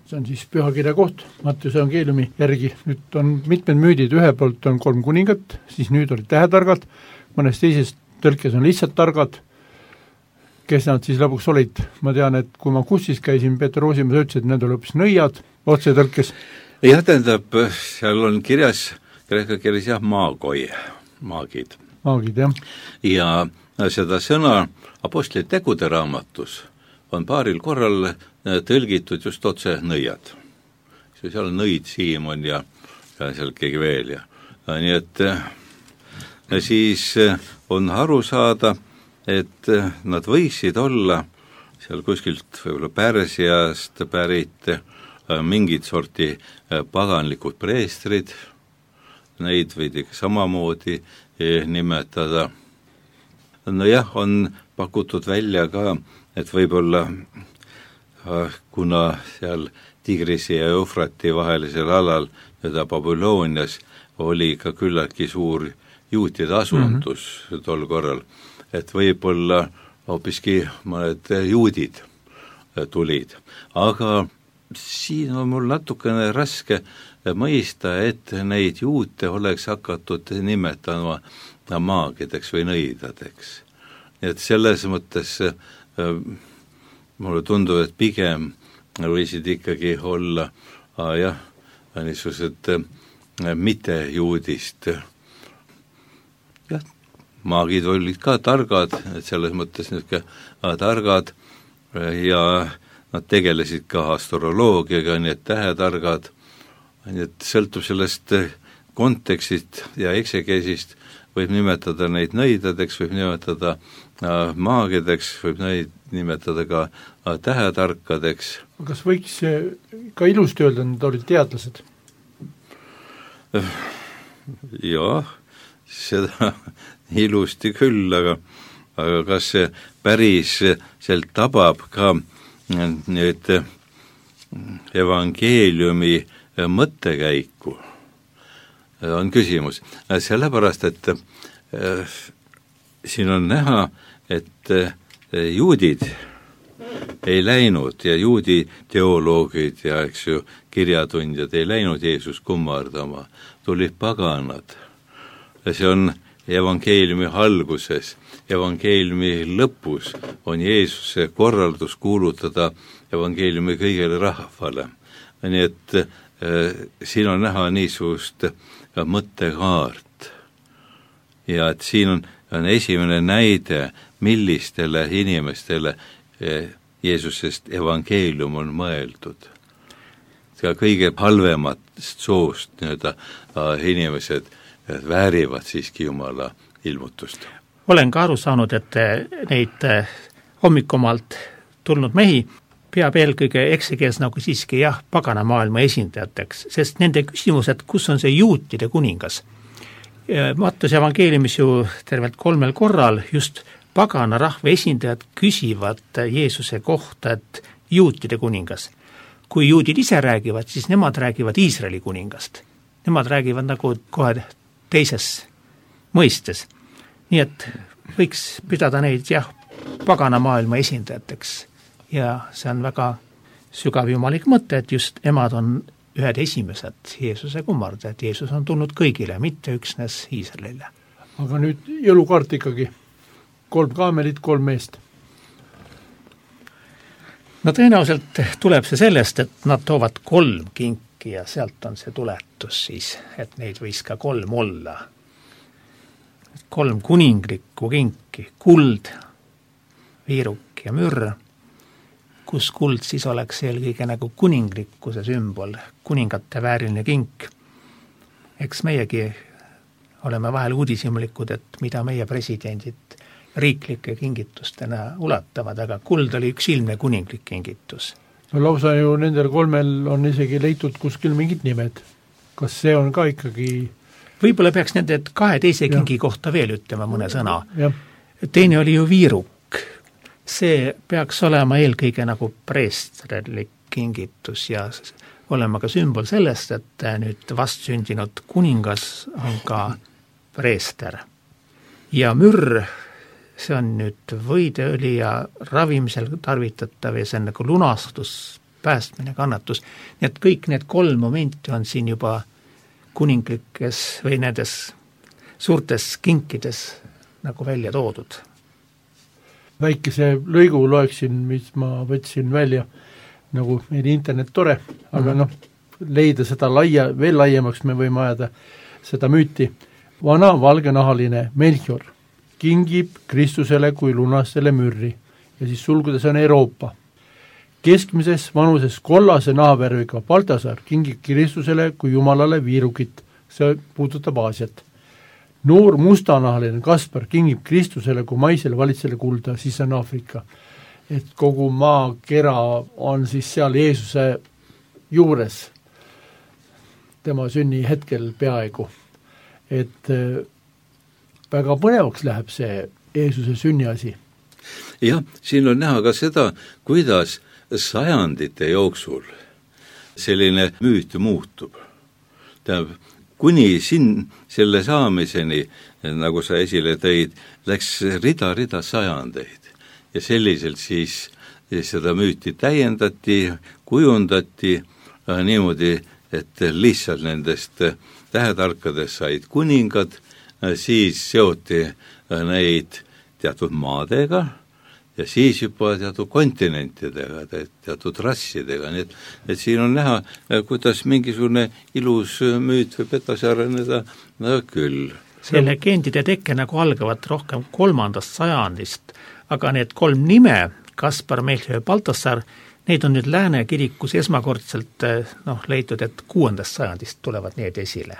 See on siis pühakirja koht, Mattuse evangeeliumi järgi. Nüüd on mitmed müüdid, ühe poolt on kolm kuningat, siis nüüd olid tähetargad, mõnes teises tõlkes on lihtsalt targad. Kes nad siis lõpuks olid? Ma tean, et kui ma kussis käisin, Peeter Roosimäe ütles, et need oli hoopis nõiad, otse tõlkes. Jah, tähendab, seal on kirjas, kreeka keeles jah, maagoi, maagid. Maagid, jah. Ja seda sõna Apostlite tegude raamatus on paaril korral tõlgitud just otse nõiad. Seal on nõid Siimon ja, ja seal keegi veel. Ja. Nii et siis on aru saada, et nad võisid olla seal kuskilt võib-olla Pärsiast pärit mingid sorti paganlikud preestrid, neid võidi samamoodi nimetada. No jah, on pakutud välja ka, et võib-olla kuna seal Tigrisi ja Eufrati vahelisel alal, teda Babylonias, oli ka küllaltki suur juutide asundus mm-hmm. tol korral, et võib-olla hoopiski mõned juudid tulid. Aga siin on mul natukene raske mõista, et neid juute oleks hakatud nimetama maagideks või nõidadeks. Et selles mõttes mulle tundub, et pigem võisid ikkagi olla ah, jah, niisugused mitte juudist. Jah, maagid olid ka targad, et selles mõttes niisugune targad ja nad tegelesid ka astroloogiaga, nii et tähetargad, nii et sõltub sellest kontekstist ja eksegeesist, võib nimetada neid nõidadeks, võib nimetada maagideks, võib neid nimetada ka tähetarkadeks. Kas võiks ka ilusti öelda, nad olid teadlased? Jah, seda ilusti küll, aga, aga kas see päris sealt tabab ka nüüd evangeeliumi mõttekäiku, on küsimus. Sellepärast, et äh, siin on näha, et äh, juudid ei läinud ja juudi teoloogid ja eks ju kirjatundjad ei läinud Jeesus kummardama, tulid paganad. See on evangeeliumi alguses, evangeeliumi lõpus on Jeesuse korraldus kuulutada evangeeliumi kõigele rahvale. Nii et äh, siin on näha niisugust mõttekaart. Ja et siin on, on esimene näide, millistele inimestele Jeesusest evangeelium on mõeldud. Ka kõige halvemast soost nii-öelda inimesed väärivad siiski Jumala ilmutust. Olen ka aru saanud, et neid hommikumalt tulnud mehi peab eelkõige eksikeels nagu siiski jah, pagana maailma esindajateks, sest nende küsimused, kus on see juutide kuningas. Mattuse evangeeliumis ju tervelt kolmel korral just pagana rahva esindajad küsivad Jeesuse kohta, et juutide kuningas. Kui juudid ise räägivad, siis nemad räägivad Iisraeli kuningast. Nemad räägivad nagu kohe teises mõistes. Nii et võiks pidada neid jah, pagana maailma esindajateks. Ja see on väga sügav jumalik mõte, et just emad on ühed esimesed Jeesuse kummardajad. Jeesus on tulnud kõigile, mitte üksnes Iisraelile. Aga nüüd jõulukaart ikkagi. Kolm kaamelit, kolm meest. No tõenäoliselt tuleb see sellest, et nad toovad kolm kinki ja sealt on see tuletus siis, et neid võis ka kolm olla. Kolm kuninglikku kinki, kuld, viiruk ja mürr, kus kuld siis oleks eelkõige nagu kuninglikkuse sümbol, kuningate vääriline kink. Eks meiegi oleme vahel uudishimulikud, et mida meie presidendid riiklike kingitustena ulatavad, aga kuld oli üks ilmne kuninglik kingitus. No lausa ju nendel kolmel on isegi leitud kuskil mingid nimed. Kas see on ka ikkagi... Võib-olla peaks nende kahe teise kingi ja. Kohta veel ütlema mõne sõna. Ja. Teine oli ju viiruk. See peaks olema eelkõige nagu preesterlik kingitus ja olema ka sümbol sellest, et nüüd vastsündinud kuningas on ka preester. Ja mürr, see on nüüd võideõli ja ravimisel tarvitatav ja see on nagu lunastus, päästmine, kannatus. Nii et kõik need kolm momenti on siin juba kuninglikes või nendes suurtes kinkides nagu välja toodud. Väikese lõigu loeksin, mis ma võtsin välja, nagu meil internet tore, aga mm-hmm. noh, leida seda laia, veel laiemaks me võime ajada seda müüti. Vana valgenahaline Melchior kingib Kristusele kui lunastele mürri ja siis sulgudes on Euroopa. Keskmises vanuses kollase nahavärviga Baltasar kingib Kristusele kui Jumalale viirukit, see puudutab Aasiat. Noor mustanahaline Kaspar kingib Kristusele kui maisele valitsele kulda, siis on Aafrika. Et kogu maakera on siis seal Jeesuse juures, tema sünni hetkel peaaegu. Et väga põnevaks läheb see Jeesuse sünniasi. Jah, siin on näha ka seda, kuidas sajandite jooksul selline müüt muutub. Tähendab, kuni siin selle saamiseni, nagu sa esile tõid, läks rida-rida sajandeid ja selliselt siis seda müüti täiendati, kujundati niimoodi, et lihtsalt nendest tähetarkadest said kuningad, siis seoti neid teatud maadega ja siis juba teatud kontinentidega, teatud rassidega, nii et, et siin on näha, kuidas mingisugune ilus müüt võib edasi areneda no, küll. See legendide tekke nagu algavad rohkem kolmandast sajandist, aga need kolm nime, Kaspar, Melchior ja Baltasar, neid on nüüd Lääne kirikus esmakordselt noh, leitud, et kuuendast sajandist tulevad need esile.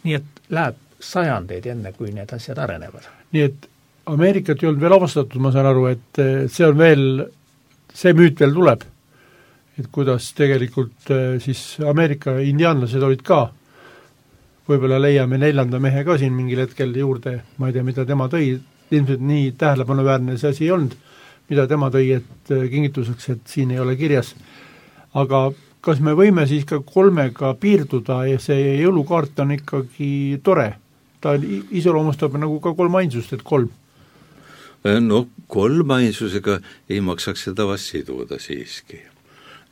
Nii et läheb sajandeid enne, kui need asjad arenevad. nii et Ameerikat ei olnud veel avastatud, ma saan aru, et see on veel, see müüt veel tuleb. Et kuidas tegelikult siis Ameerika indiaanlased olid ka, võib-olla leiame neljanda mehe ka siin mingil hetkel juurde, ma ei tea, mida tema tõi, ilmselt nii tähelepanuväärne see asi ei olnud, mida tema tõi, et kingituseks, et siin ei ole kirjas. Aga kas me võime siis ka kolmega piirduda ja see jõulukaart on ikkagi tore? Ta iseloomustab nagu ka kolm ainsust, et kolm. No kolm ainsusega ei maksaks seda vast siduda siiski.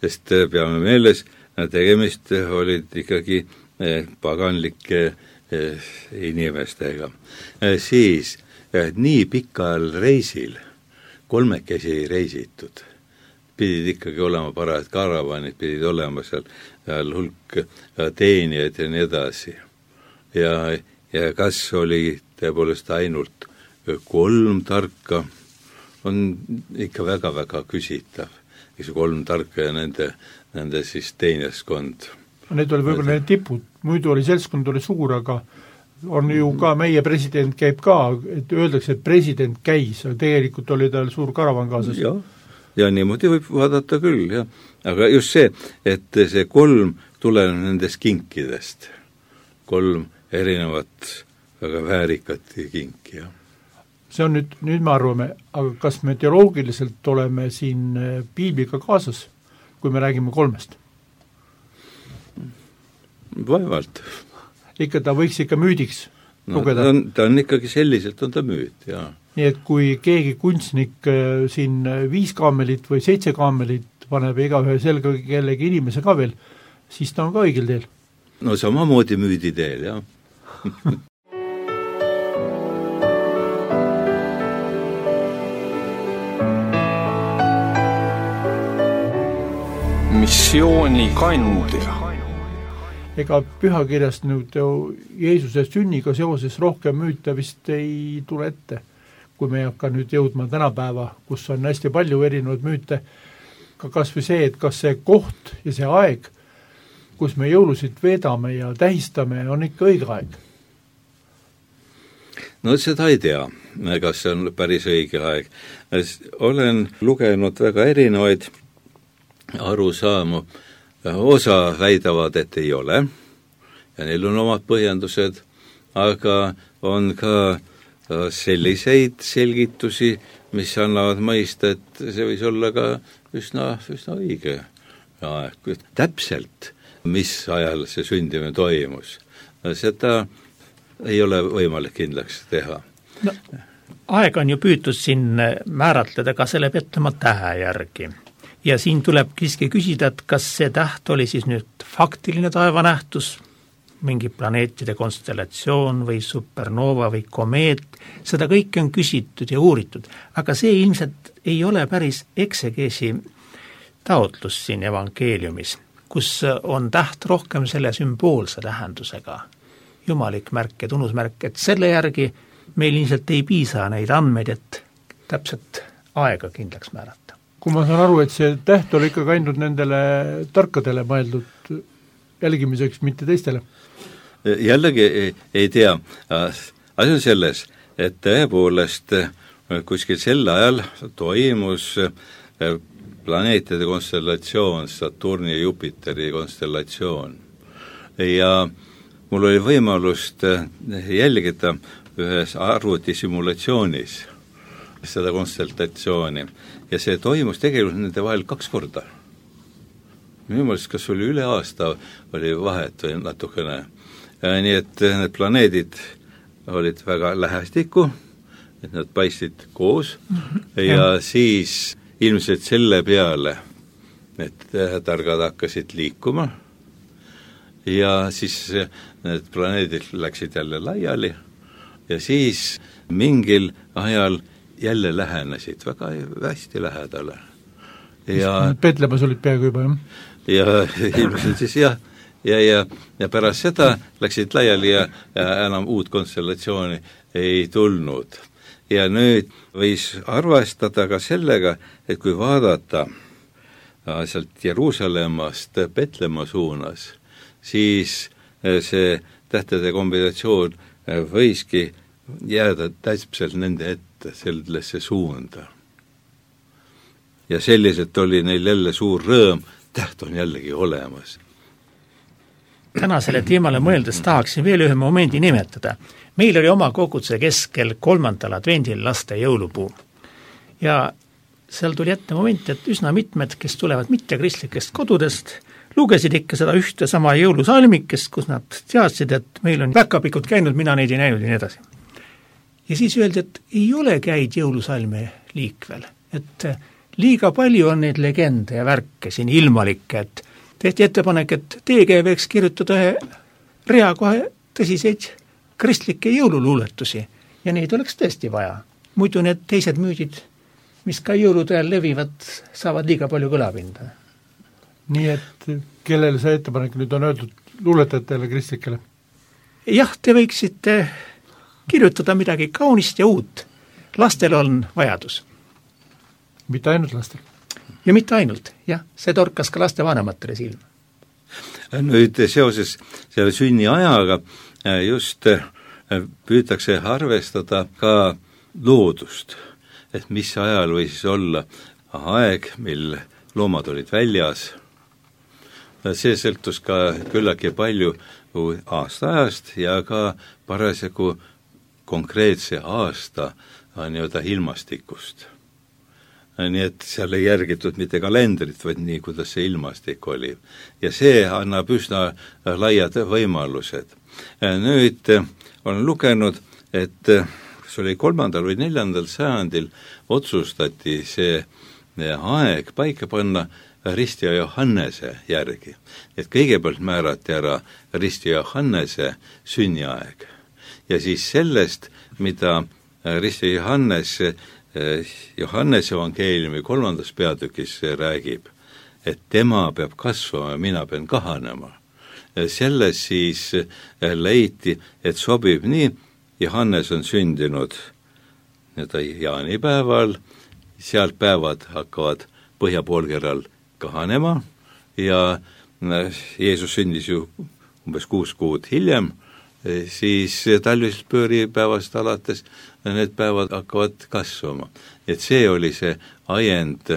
Sest peame meeles, tegemist olid ikkagi paganlike inimestega. Siis nii pikal reisil kolmekesi ei reisitud. Pidid ikkagi olema parajad karavanid, pidid olema seal, seal hulk teenijaid ja nii edasi. Ja, ja kas oli tõepoolest ainult kolm tarka, on ikka väga-väga küsitav. Eks kolm tarka ja nende, nende siis teenijaskond. Need oli võib-olla need tipud, muidu oli seltskond oli suur, aga on ju ka meie president käib ka, et öeldakse, et president käis, aga tegelikult oli tal suur karavan kaasas. Ja, ja niimoodi võib vaadata küll, jah. Aga just see, et see kolm tuleneb nendest kinkidest. Kolm erinevat väga väärikat kinki, jah. See on nüüd, nüüd me arvame, aga kas me teoloogiliselt oleme siin piibliga kaasas, kui me räägime kolmest? Vaevalt. Ikka ta võiks ikka müüdiks no, lugeda. Ta on, ta on ikkagi selliselt, on ta müüt, jah. Nii et kui keegi kunstnik siin viis kaamelit või seitse kaamelit paneb ega ühe selga kellegi inimese ka veel, siis ta on ka õigel teel. No samamoodi müüdi teel, jah. Missioonikandja. Ega pühakirjast nüüd Jeesuse sünniga seoses rohkem müüte vist ei tule ette, kui me ei hakka nüüd jõudma tänapäeva, kus on hästi palju erinevaid müüte, ka kas või see, et kas see koht ja see aeg, kus me jõulusid veedame ja tähistame, on ikka õige aeg? No seda ei tea, kas see on päris õige aeg. Olen lugenud väga erinevaid arusaamu, osa väidavad, et ei ole ja neil on omad põhjendused, aga on ka selliseid selgitusi, mis annavad mõista, et see võis olla ka üsna, üsna õige aeg. Täpselt, mis ajal see sündimine toimus, seda ei ole võimalik kindlaks teha. No, aeg on ju püütud siin määratleda ka selle Petlemma tähe järgi. Ja siin tuleb siiski küsida, et kas see täht oli siis nüüd faktiline taevanähtus, mingi planeetide konstellatsioon või supernova või komeet, seda kõike on küsitud ja uuritud, aga see ilmselt ei ole päris eksegeesi taotlus siin evangeeliumis, kus on täht rohkem selle sümboolse tähendusega, jumalik märk ja tunnusmärk, et selle järgi meil ilmselt ei piisa neid andmeid, et täpselt aega kindlaks määrata. Kui ma saan aru, et see täht oli ikka ainult nendele tarkadele mõeldud jälgimiseks, mitte teistele? Jällegi ei, ei tea. Asi on selles, et tõepoolest kuskil sel ajal toimus planeetide konstellatsioon, Saturni ja Jupiteri konstellatsioon. Ja mul oli võimalust jälgida ühes arvutissimulatsioonis seda konstellatsiooni ja see toimus tegelikult nende vahel kaks korda. Minu mõelest, kas oli üle aasta, oli vahet või natukene. Nii et need planeedid olid väga lähestikku, et nad paistsid koos ja siis ilmselt selle peale, et targad hakkasid liikuma ja siis need planeedid läksid jälle laiali ja siis mingil ajal jälle lähenesid väga hästi lähedale. Ja Petlemmas olid peaaegu juba, jah? Ja ilmselt siis jah, ja, ja, ja pärast seda läksid laiali ja, ja enam uut konstellatsiooni ei tulnud. Ja nüüd võis arvestada ka sellega, et kui vaadata sealt Jeruusalemmast Petlemma suunas, siis see tähtede kombinatsioon võiski jääda täpselt nende ette, sellesse suunda. Ja selliselt oli neil jälle suur rõõm, täht on jällegi olemas. Tänasele teemale mõeldes tahaksin veel ühe momendi nimetada. Meil oli oma koguduse keskel kolmandal advendil laste jõulupuu. Ja seal tuli ette moment, et üsna mitmed, kes tulevad mittekristlikest kodudest, lugesid ikka seda ühte sama jõulusalmikest, kus nad teadsid, et meil on päkapikud käinud, mina neid ei näinud ja nii edasi. Ja siis öeldi, et ei ole käid jõulusalme liikvel, et liiga palju on neid legende ja värke siin ilmalikke, et tehti ettepanek, et teege võiks kirjutada ühe rea kohe tõsiseid kristlikke jõululuuletusi ja neid oleks tõesti vaja. Muidu need teised müüdid, mis ka jõulude ajal levivad, saavad liiga palju kõlapinda. Nii et kellele see ettepanek nüüd on öeldud, luuletajatele, kristlikele? Jah, te võiksite kirjutada midagi kaunist ja uut. Lastel on vajadus. Mitte ainult lastel? Ja mitte ainult, jah, see torkas ka laste vanematele silma. Nüüd seoses selle sünni ajaga just püütakse arvestada ka loodust, et mis ajal võis olla aeg, mil loomad olid väljas. See sõltus ka küllagi palju aastaajast ja ka parasjagu konkreetse aasta nii-öelda ilmastikust. Nii et seal ei järgitud mitte kalendrit, vaid nii, kuidas see ilmastik oli. Ja see annab üsna laiad võimalused. Nüüd olen lugenud, et see oli kolmandal või neljandal sajandil otsustati see aeg paika panna Risti ja Johannese järgi. Et kõigepealt määrati ära Risti ja Johannese sünniaeg. Ja siis sellest, mida Risti ja Johannes Johannese evangeeliumi kolmandas peatükis räägib, et tema peab kasvama ja mina pean kahanema. Selles siis leiti, et sobib nii, Johannes on sündinud jaanipäeval, sealt päevad hakkavad põhjapoolkeral kahanema ja Jeesus sündis ju umbes kuus kuud hiljem, siis talvisest pööripäevast alates need päevad hakkavad kasvama. Et see oli see ajend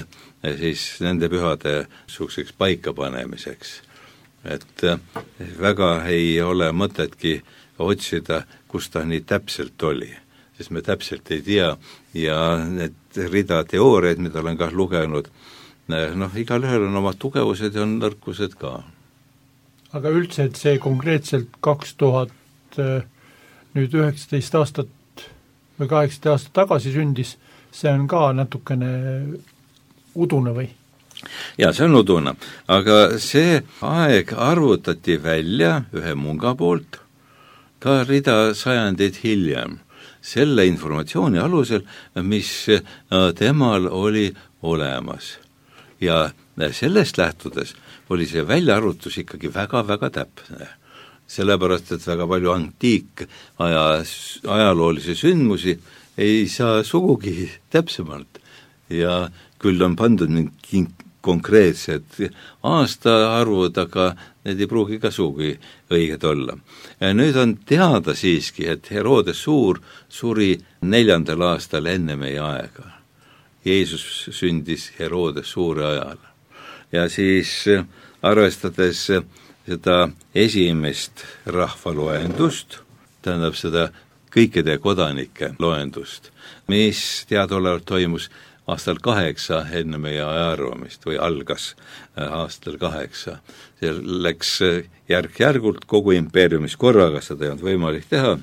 siis nende pühade suhkseks paikapanemiseks. Et väga ei ole mõtetki otsida, kus ta nii täpselt oli, sest me täpselt ei tea ja need rida teooriaid, mida olen ka lugenud, noh, igal ühel on oma tugevused ja on nõrkused ka. Aga üldse, et see konkreetselt kaks tuhat nüüd üheksateist aastat või kaheksateist aastat tagasi sündis, see on ka natukene udune või? Ja see on udune, aga see aeg arvutati välja ühe munga poolt ka rida sajandeid hiljem, selle informatsiooni alusel, mis temal oli olemas. Ja sellest lähtudes oli see väljaarvutus ikkagi väga-väga täpne. Sellepärast, et väga palju antiik aja, ajaloolisi sündmusi ei saa sugugi täpsemalt ja küll on pandud mingi konkreetsed aastaarvud, aga need ei pruugi ka sugugi õiged olla. Ja nüüd on teada siiski, et Herodes Suur suri neljandal aastal enne meie aega. Jeesus sündis Herodes Suure ajal. Ja siis arvestades seda esimest rahvaloendust, tähendab seda kõikide kodanike loendust, mis teadaolevalt toimus aastal kaheksa enne meie ajaarvamist või algas aastal kaheksa. See läks järk-järgult kogu impeeriumis korraga, seda ei olnud võimalik teha.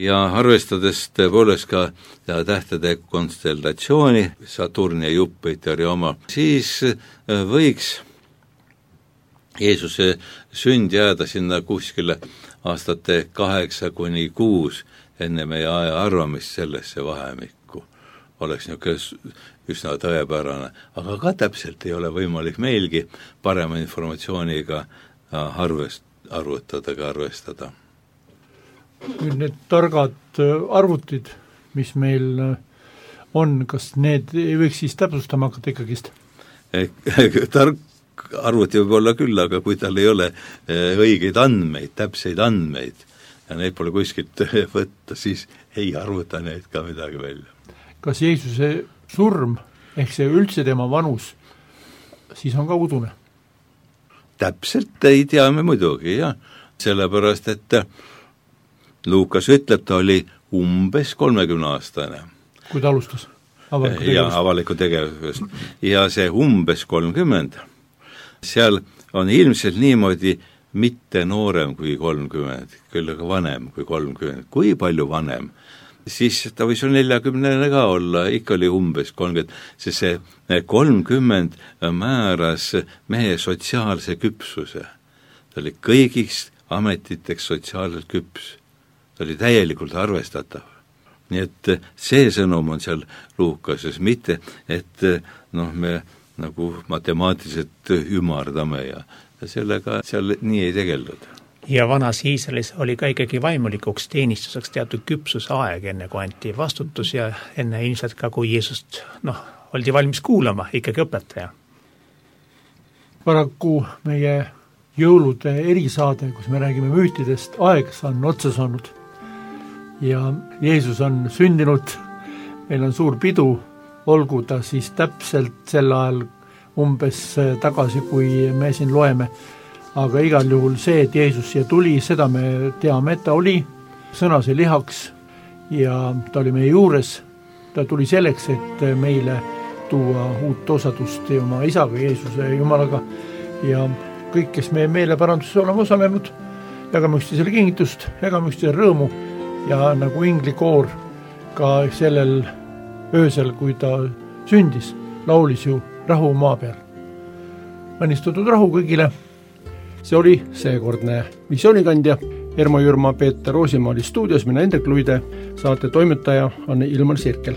Ja arvestades tõepoolest ka tähtede konstellatsiooni, Saturni ja Jupiteri oma, siis võiks Jeesuse sünd jääda sinna kuskile aastate kaheksa kuni kuus enne meie aja arvamist sellesse vahemikku. Oleks niisugune üsna tõepärane, aga ka täpselt ei ole võimalik meilgi parema informatsiooniga arvest, arvutada ega arvestada. Nüüd need targad arvutid, mis meil on, kas need ei võiks siis täpsustama hakata ikkagist? Tark arvuti võib olla küll, aga kui tal ei ole õigeid andmeid, täpseid andmeid ja neid pole kuskilt võtta, siis ei arvuta neid ka midagi välja. Kas Jeesuse surm, ehk see üldse tema vanus, siis on ka udune? Täpselt ei tea me muidugi, jah. Sellepärast, et Luukas ütleb, ta oli umbes kolmekümne aastane. Kui ta alustas? Avaliku tegevust. Ja avaliku tegevust. Ja see umbes kolmkümmend, seal on ilmselt niimoodi mitte noorem kui kolmkümmend, küll aga vanem kui kolmkümmend. Kui palju vanem? Siis ta võis ju neljakümnene ka olla, ikka oli umbes kolmkümmend, sest see kolmkümmend määras mehe sotsiaalse küpsuse. Ta oli kõigist ametiteks sotsiaalselt küps. Ta oli täielikult arvestatav. Nii et see sõnum on seal Luukases, mitte et noh, me nagu matemaatiliselt ümardame ja sellega seal nii ei tegeldud. Ja vanas Iisraelis oli ka ikkagi vaimulikuks teenistuseks teatud küpsuse aeg, enne kui anti vastutus ja enne ilmselt ka, kui Jeesust noh, oldi valmis kuulama, ikkagi õpetaja. Paraku meie jõulude erisaade, kus me räägime müütidest, aeg on otsa saanud ja Jeesus on sündinud, meil on suur pidu, olgu ta siis täpselt sel ajal umbes tagasi, kui me siin loeme, aga igal juhul see, et Jeesus siia tuli, seda me teame, et ta oli, sõna sai lihaks ja ta oli meie juures, ta tuli selleks, et meile tuua uut osadust oma isaga, Jeesuse Jumalaga ja kõik, kes meie meeleparanduses oleme osalenud, jagame üksteisele kingitust, jagame üksteisele rõõmu ja nagu inglikoor ka sellel öösel, kui ta sündis, laulis ju rahu maa peal. Õnnistatud rahu kõigile. See oli seekordne visioonikandja. Ermo Jürma, Peeter Roosimaa oli stuudios, mina Hendrik Luide, saate toimetaja on Ilmar Sirkel.